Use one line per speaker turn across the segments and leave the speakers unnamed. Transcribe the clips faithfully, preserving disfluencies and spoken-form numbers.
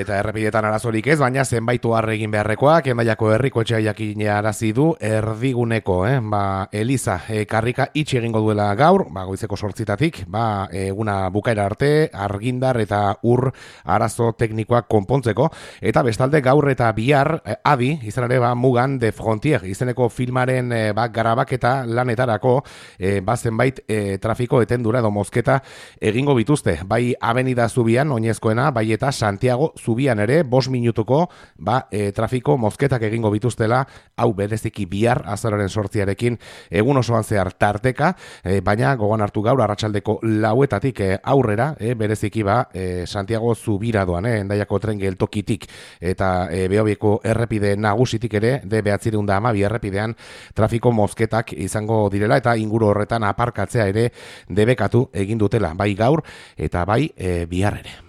Eta errepidetan arazorik ez, baina zenbait ohar egin beharrekoak, Hendaiako herriko etxea jakinarazi du erdiguneko, eh? ba, Eliza e, karrika itxi egingo duela gaur, ba, goizeko sortzitatik, ba, eguna bukaera arte, argindar eta ur arazo teknikoak konpontzeko, eta bestalde gaur eta bihar, eh, adi, izan ere, ba, Mugan de Frontier, izeneko filmaren eh, ba, garabaketa lanetarako, eh, ba, zenbait eh, trafiko etendura edo mozketa egingo bituzte, bai Avenida Zubian, oinezkoena, bai eta Santiago Zubian ere, bost minutuko, ba, e, trafiko mozketak egingo bituztela, hau bereziki bihar, azaroren sortziarekin, egun osoan zehar tarteka, e, baina gogoan hartu gaur, arratsaldeko lauetatik e, aurrera, e, bereziki ba, e, Santiago Zubira doan, e, Hendaiako tren geltokitik, eta e, Behobieko errepide nagusitik ere, de behatzireun da hamabi errepidean, trafiko mozketak izango direla, eta inguru horretan aparkatzea ere debekatu egin dutela, bai gaur, eta bai e, bihar ere.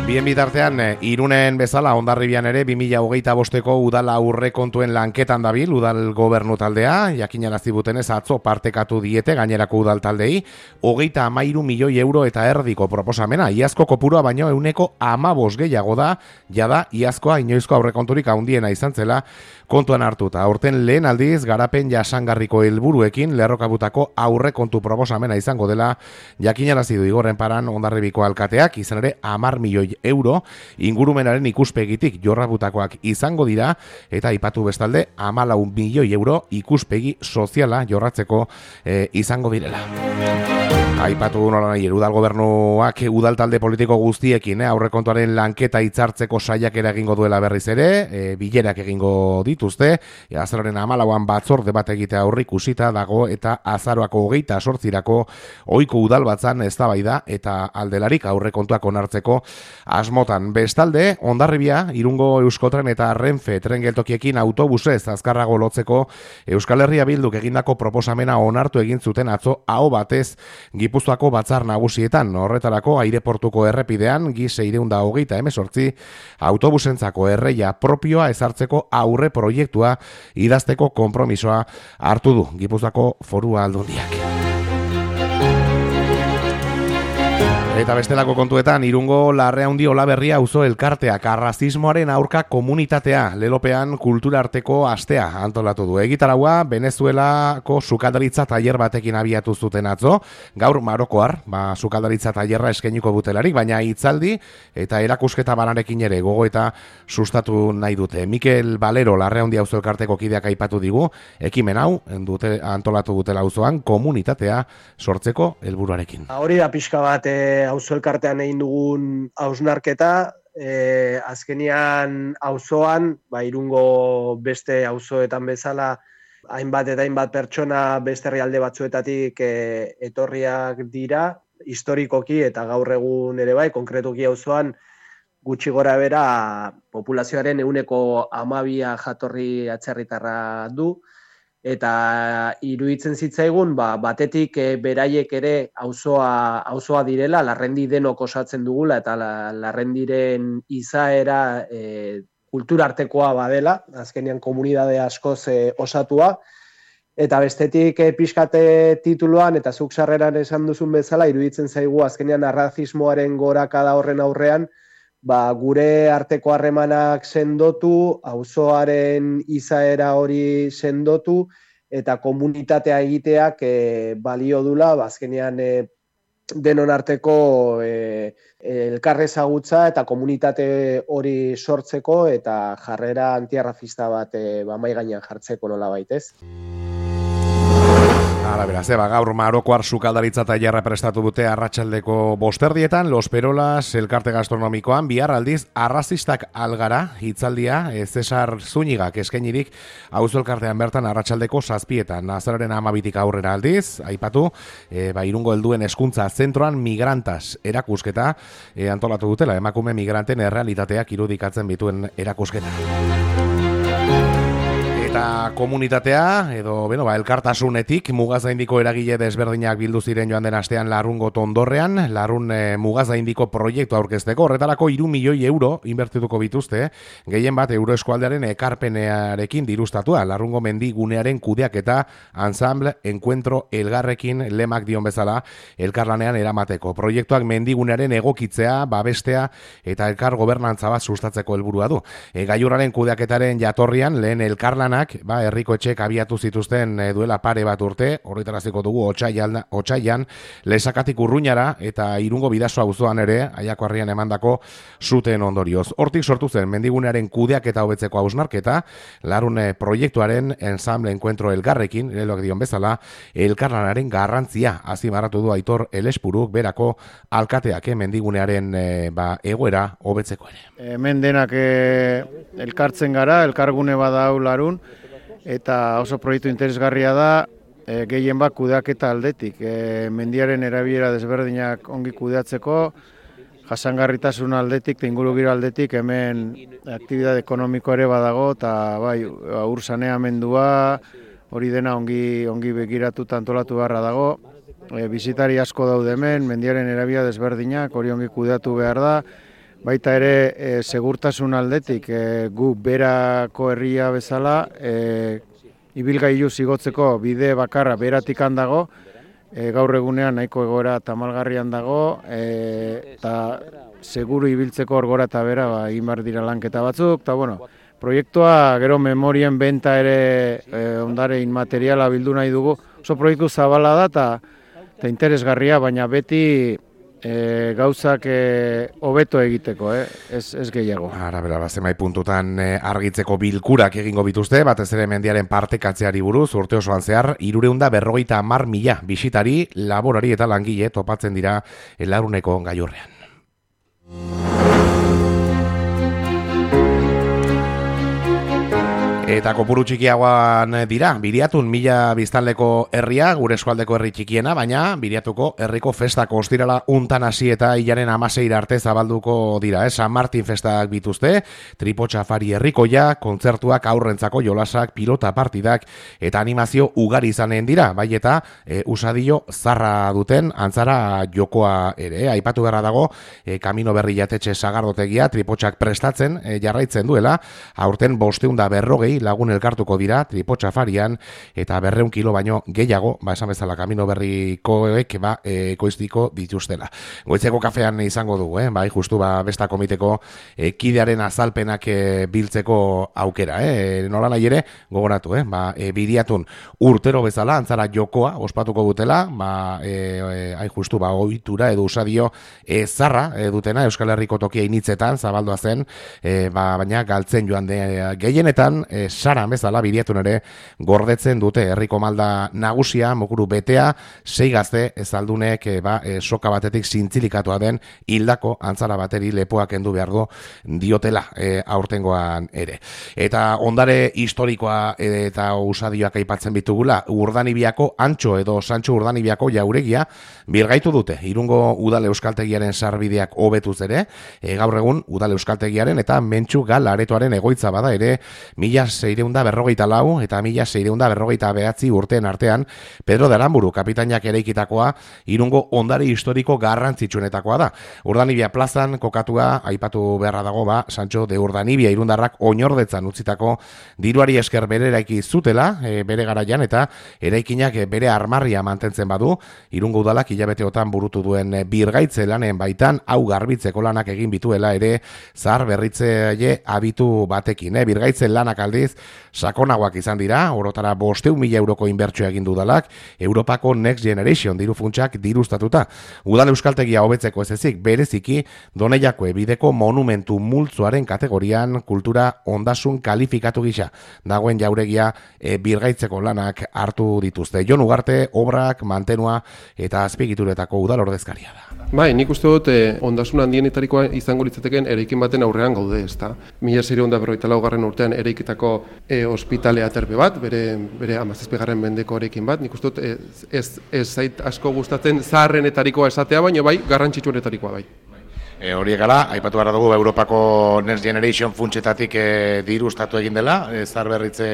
Bien bitartean, Irunen bezala Hondarribian ere bi mila hogeita bosteko udal aurrekontuen lanketan dabil udal gobernu taldea, jakinarazi butenez atzo partekatu diete gainerako udal taldei, hogeita hamairu milioi euro eta erdiko proposamena, iazko kopurua baino ehuneko hamabost gehiago da, jada iazkoa inoizko aurrekonturik handiena izan zela kontuan hartuta. Aurten lehen aldiz garapen jasangarriko helburuekin lerrokabutako aurrekontu proposamena izango dela jakinarazi du Igorren Paran Hondarribiko alkateak, izan ere hamar milioi euro ingurumenaren ikuspegitik jorrabutakoak izango dira, eta aipatu bestalde hamalau milioi euro ikuspegi soziala jorratzeko e, izango direla. Aipatu nola nahi, udal gobernuak udal talde politiko guztiekin eh, aurrekontuaren lanketa hitzartzeko saiakera egingo duela berriz ere, e, bilerak egingo dituzte, e, azaroren hamalauan batzorde bat egitea aurreikusita dago, eta azaroako hogeita sortzirako ohiko udal batzan eztabaida eta aldelarik aurrekontuak onartzeko asmotan. Bestalde, Hondarribia, Irungo Euskotren eta Renfe tren geltokiekin autobusez azkarrago lotzeko Euskal Herria Bilduk egindako proposamena onartu egin zuten atzo aho batez Gipuzkoako batzar nagusietan. Horretarako aireportuko errepidean gi seiehun eta hogeita hemezortzi autobusentzako erreia propioa ezartzeko aurre proiektua idazteko konpromisoa hartu du Gipuzkoako Foru Aldundiak. Eta bestelako kontuetan, Irungo Larreaundi Olaberria auzo elkarteak arrazismoaren aurka komunitatea lelopean kultura arteko astea antolatu du. Egitaraua Venezuelako sukaldaritza tailer batekin abiatu zuten atzo, gaur Marokoar, ba, sukaldaritza tailerra eskainiko dutelarik, baina hitzaldi eta erakusketa banarekin ere gogo eta sustatu nahi dute. Mikel Valero Larreaundi auzo elkarteko kideak aipatu digu, ekimen hau dute antolatu dutela auzoan komunitatea sortzeko helburuarekin.
Hori da pixka bat auzo elkartean egin dugun hausnarketa, e, azkenian auzoan, ba, Irungo beste auzoetan bezala, hainbat eta hainbat pertsona beste herrialde batzuetatik e, etorriak dira, historikoki eta gaur egun ere bai, konkretuki auzoan, gutxi gora bera populazioaren ehuneko hamabia jatorri atzerritarra du, eta iruditzen zitzaigun ba, batetik e, beraiek ere auzoa auzoa direla, Larrendi denok osatzen dugula, eta la, Larrendiren izaera e, kulturartekoa badela, azkenean komunitate askoz e, osatua, eta bestetik e, pixkate tituluan, eta zuk sarreran esan duzun bezala, iruditzen zaigu azkenean arrazismoaren gorakada horren aurrean, ba, gure arteko harremanak sendotu, auzoaren izaera hori sendotu, eta komunitatea egiteak e, balio dula, ba, azkenean e, denon arteko e, elkarrezagutza eta komunitate hori sortzeko, eta jarrera antiarrazista bat e, ba, mahai gainean jartzeko nola baitez.
Hala, beraz, eba, gaur Marokoar sukaldaritza tailerra prestatu dute arratsaldeko bosterdietan, Los Perolas elkarte gastronomikoan, bihar aldiz arrazistak algara hitzaldia, e, Cesar Zúñigak eskainirik auzo elkartean bertan arratsaldeko zazpietan, azararen hamabitik aurrera aldiz, aipatu, e, ba, Irungo helduen hezkuntza zentroan migrantas erakusketa e, antolatu dutela, emakume migranten errealitateak irudikatzen bituen erakusketa. Eta komunitatea, edo beno, ba, elkartasunetik mugazaindiko eragile desberdinak bildu ziren joan den astean Larrungo Tondorrean, Larrun e, mugazaindiko proiektu aurkezteko, horretarako hiru milioi euro inbertituko bituzte, gehien bat Euroeskualdearen ekarpenearekin dirustatua, Larrungo mendigunearen kudeaketa Ensemble Encuentro Elgarrekin lemak dion bezala elkarlanean eramateko. Proiektuak mendigunearen egokitzea, babestea eta elkar gobernantza bat sustatzeko helburua du. E, gailurraren kudeaketaren jatorrian lehen elkarlan ba, herriko etxek abiatu zituzten e, duela pare bat urte, horretaraziko dugu otsailan, otsailan Lesakatik Urruñara eta Irungo Bidasoa auzoan ere, Aiako Harrian emandako zuten ondorioz. Hortik sortu zen mendigunearen kudeaketa hobetzeko hausnarketa, Larrun proiektuaren Ensemble Encuentro Elgarrekin, leloak dion bezala, elkarlanaren garrantzia azimarratu du Aitor Elespuruk berako alkateak eh, mendigunearen e, ba, egoera hobetzeko ere.
Hemen denak e, elkartzen gara, elkargune badau Larrun, eta oso proiektu interesgarria da, e, gehien bat kudeaketa aldetik. E, mendiaren erabilera desberdinak ongi kudeatzeko, jasangarritasun aldetik, eta ingurugiro aldetik, hemen aktibitate ekonomiko ere badago, eta bai, ur saneamendua, hori dena ongi, ongi begiratuta antolatu beharra dago. E, bizitari asko daude hemen, mendiaren erabilera desberdinak, hori ongi kudeatu behar da. Baita ere, e, segurtasun aldetik, e, gu berako herria bezala, e, ibilgailu zigotzeko bide bakarra beratik handago, e, gaur egunean nahiko egoera tamalgarrian dago, e, eta seguru ibiltzeko orgora eta bera ba, egin behar dira lanketa batzuk, eta bueno, proiektua gero memorien benta ere e, ondare inmateriala bildu nahi dugu, oso proiektu zabala da eta, eta interesgarria, baina beti E, gauzak hobeto e, egiteko, eh? ez, ez gehiago.
Ara, bera, bazemai puntutan e, argitzeko bilkurak egingo bituzte, batez ere mendiaren partekatzeari buruz, urte osoan zehar, hirureunda berrogeita hamar mila bisitari, laborari eta langile topatzen dira Larruneko gailurrean. Eta kopuru txikiagoan dira, Biriatun mila biztanleko herria, gure eskualdeko herri txikiena, baina Biriatuko herriko festako ostirala untan hasi eta hilaren amaseira arte zabalduko dira. Eh? San Martin festak bituzte, tripotxafari herrikoia, kontzertuak, aurrentzako jolasak, pilota partidak eta animazio ugari izanen dira, bai eta e, usadio zarra duten antzara jokoa ere. Eh? Aipatu beharra dago, e, Kamino Berri jatetxe sagardotegia, tripotxak prestatzen e, jarraitzen duela, aurten bosteunda berrogei lagun elkartuko dira tripotxafarian eta berreun kilo baino gehiago, ba esan bezala Kamino Berrikoek ba e, ekoiztiko dituztela. Goitzeko kafean izango dugu, eh? Bai, justu ba besta komiteko e, kidearen azalpenak e, biltzeko aukera, eh? Nola nahi ere gogoratu, eh? Ba, e, Biriatun urtero bezala antzara jokoa ospatuko dutela, ba e, e, ai justu ba ohitura edo usadio e, zarra e, dutena Euskal Herriko tokia initzetan zabaldoa zen, e, ba, baina galtzen joan de gehienetan e, sara bezala Biriatun ere gordetzen dute herriko malda nagusia, mokuru betea, sei gazte ezaldunek e, ba, e, soka batetik zintzilikatoa den hildako antzara bateri lepoak kendu behar du diotela e, aurtengoan ere. Eta ondare historikoa e, eta usadioak aipatzen bitugula, Urdanibiako Antxo edo Santxo Urdanibiako jauregia birgaitu dute. Irungo Udal Euskaltegiaren sarbideak hobetuz ere, e, gaur egun Udal Euskaltegiaren eta Mentxu Gal aretoaren egoitza bada ere, mila seireunda berrogeita lau eta mila seireunda berrogeita behatzi urteen artean Pedro de Aramburu kapitainak eraikitakoa Irungo ondare historiko garrantzitsuenetakoa da. Urdanibia plazan kokatua aipatu beharra dago ba Santxo de Urdanibia irundarrak oinordetzan utzitako diruari esker bere eraiki zutela e, bere garaian eta eraikinak bere armarria mantentzen badu Irungo udalak hilabeteotan burutu duen birgaitze lanen baitan hau garbitzeko lanak egin bituela ere zahar berritzaile abitu batekin. Eh? Birgaitze lanak aldiz sakonagoak izan dira, orotara bosteun mila euroko inbertsioa egin dudalak, Europako Next Generation diru funtsak dirustatuta. Udal Euskaltegia hobetzeko ez ezik, bereziki Doneiako ebideko monumentu multzoaren kategorian kultura ondasun kalifikatu gisa dagoen jauregia e, birgaitzeko lanak hartu dituzte. Jon Ugarte, obrak, mantenua eta azpigituretako udal ordezkaria da.
Bai, nik uste dut eh, ondasun handienetarikoa izango litzateken eraikin baten aurrean gaude, ezta. Mila seiehun eta berrogeita laugarren urtean eraikitako e, ospitale aterpe bat, bere bere hamazazpigarren mendeko eraikin bat. Nik uste dut ez, ez, ez zait asko gustatzen zaharrenetarikoa esatea, baina bai garrantzitsuenetarikoa bai.
E, horiek gala, aipatu behar dugu Europako Next Generation funtsetatik e, dirustatu egin dela, e, zaharberritze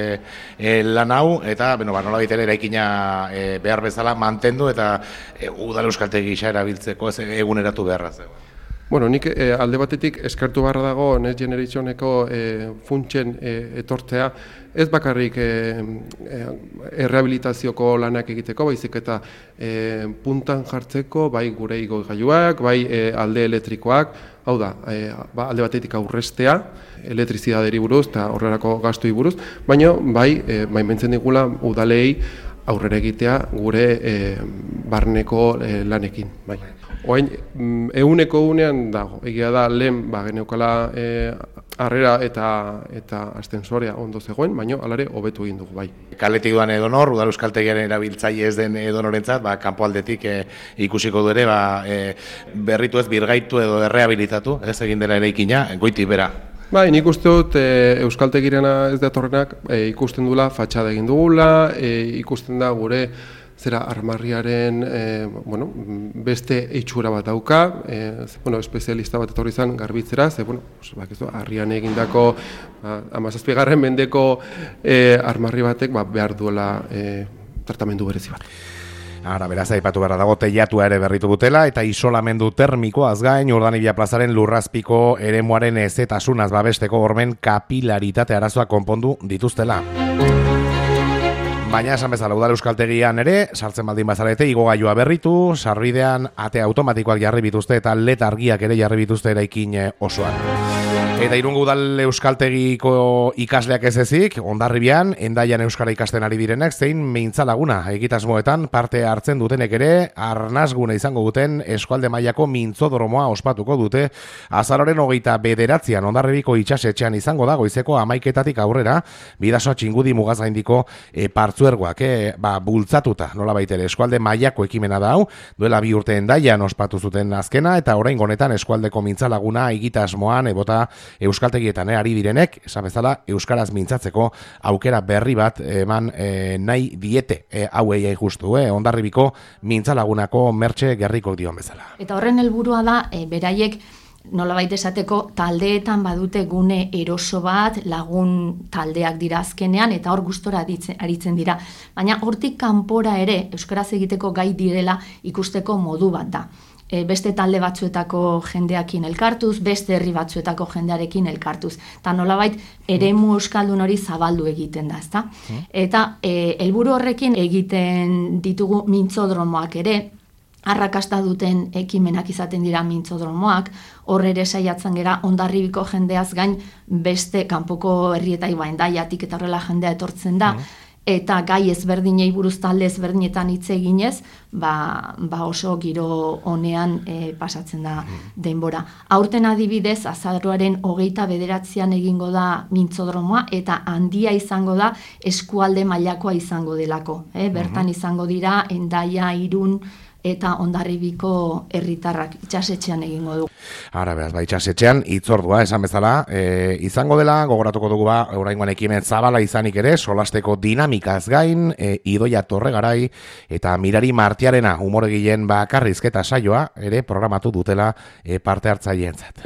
e, lan hau, eta beno, ba, nola baitere eraikina e, behar bezala mantendu eta e, udal euskaltegi gisa erabiltzeko ez eguneratu beharra zegoen.
Bueno, nik e, alde batetik eskertu beharra dago Next Generationeko e, funtsen e, etortzea, ez bakarrik e, e, errehabilitazioko lanak egiteko, baizik eta e, puntan jartzeko, bai gure igogailuak, bai e, alde elektrikoak, hau da, e, ba, alde batetik aurrestea, elektrizidaderi buruz eta horrelako gastui buruz, baina bai, e, baimentzen digula udalei aurrera egitea gure e, barneko e, lanekin, bai. Oain, eguneko unean dago, egia da lehen ba, geneukala e, harrera eta eta astensorea ondo zegoen, baina alare hobetu egin dugu bai.
Kaletik duan edonor, udal euskaltegiaren erabiltzaile ez den edonorentzat, ba, kanpo aldetik e, ikusiko du ere, ba, e, berritu ez birgaitu edo errehabilitatu, ez egin dela eraikina, goitik bera.
Bai, nik uste dut e, euskaltegirena ez datorrenak e, ikusten dula fatxada egin dugula, e, ikusten da gure zera armarriaren e, bueno, beste itxura bat dauka, e, bueno, espezialista bat etorri izan garbitzera, ze bueno, bakizu, harrian egindako ba, hamazazpigarren mendeko e, armarri batek ba, behar duela e, tratamendu berezi bat.
Ara, beraz, aipatu behar dago teilatua ere berritu dutela eta isolamendu termikoaz gain Urdanibia plazaren lurrazpiko eremuaren ezetasunaz babesteko hormen kapilaritate arazoa konpondu dituztela. Baina esan bezala udal euskaltegian ere, sartzen baldin bazarete, igogailua berritu, sarbidean ate automatikoak jarri bituzte eta L E D argiak ere jarri bituzte eraikin osoan. Eta Irungo udal euskaltegiko ikasleak ez ezik, Hondarribian, Hendaian euskara ikasten ari direnak, zein mintzalaguna egitasmoetan parte hartzen dutenek ere, arnasgune izango duten eskualde mailako mintzodromoa ospatuko dute, azaroren hogeita bederatzean Hondarribiko itxasetxean izango da, goizeko hamaiketatik aurrera, bidasoa txingudi mugaz gaindiko e, partzuergoak, e, ba, bultzatuta, nola baitere, eskualde mailako ekimena da hau, duela bi urte Hendaian ospatu zuten azkena, eta oraingo honetan eskualdeko mintzalaguna egitasmoan ebota euskaltegietan eh, ari direnek, esan bezala, euskaraz mintzatzeko aukera berri bat eman eh, nahi diete eh, hauei justu, eh, Hondarribiko mintzalagunako mertxe gerriko dion bezala.
Eta horren helburua da, eh, beraiek nolabait esateko taldeetan badute gune eroso bat, lagun taldeak dira azkenean, eta hor gustora aritzen dira. Baina hortik kanpora ere, euskaraz egiteko gai direla ikusteko modu bat da. Beste talde batzuetako jendeakin elkartuz, beste herri batzuetako jendearekin elkartuz. Eta nolabait eremu euskaldun hori zabaldu egiten da, ezta? Eta e, helburu horrekin egiten ditugu mintzodromoak ere, arrakasta duten ekimenak izaten dira mintzodromoak, hor ere saiatzen gera Hondarribiko jendeaz gain beste kanpoko herrietai Hendaiatik eta horrela jendea etortzen da, eta gai ezberdinei buruz talde ezberdinetan hitz eginez, ba, ba oso giro honean e, pasatzen da denbora. Aurten adibidez, azaroaren hogeita bederatzean egingo da mintzodromoa, eta handia izango da eskualde mailakoa izango delako. Eh? Bertan izango dira Hendaia, Irun, eta Hondarribiko herritarrak itxasetxean egingo du.
Ara, beraz, ba, itxasetxean, itzordua, esan bezala, e, izango dela, gogoratuko dugu ba, oraingoan ekimen zabala izanik ere, solasteko dinamikaz gain, e, Idoia Torregarai, eta Mirari Martiarena, humoregileen bakarrizketa saioa, ere programatu dutela e, parte hartzaileentzat.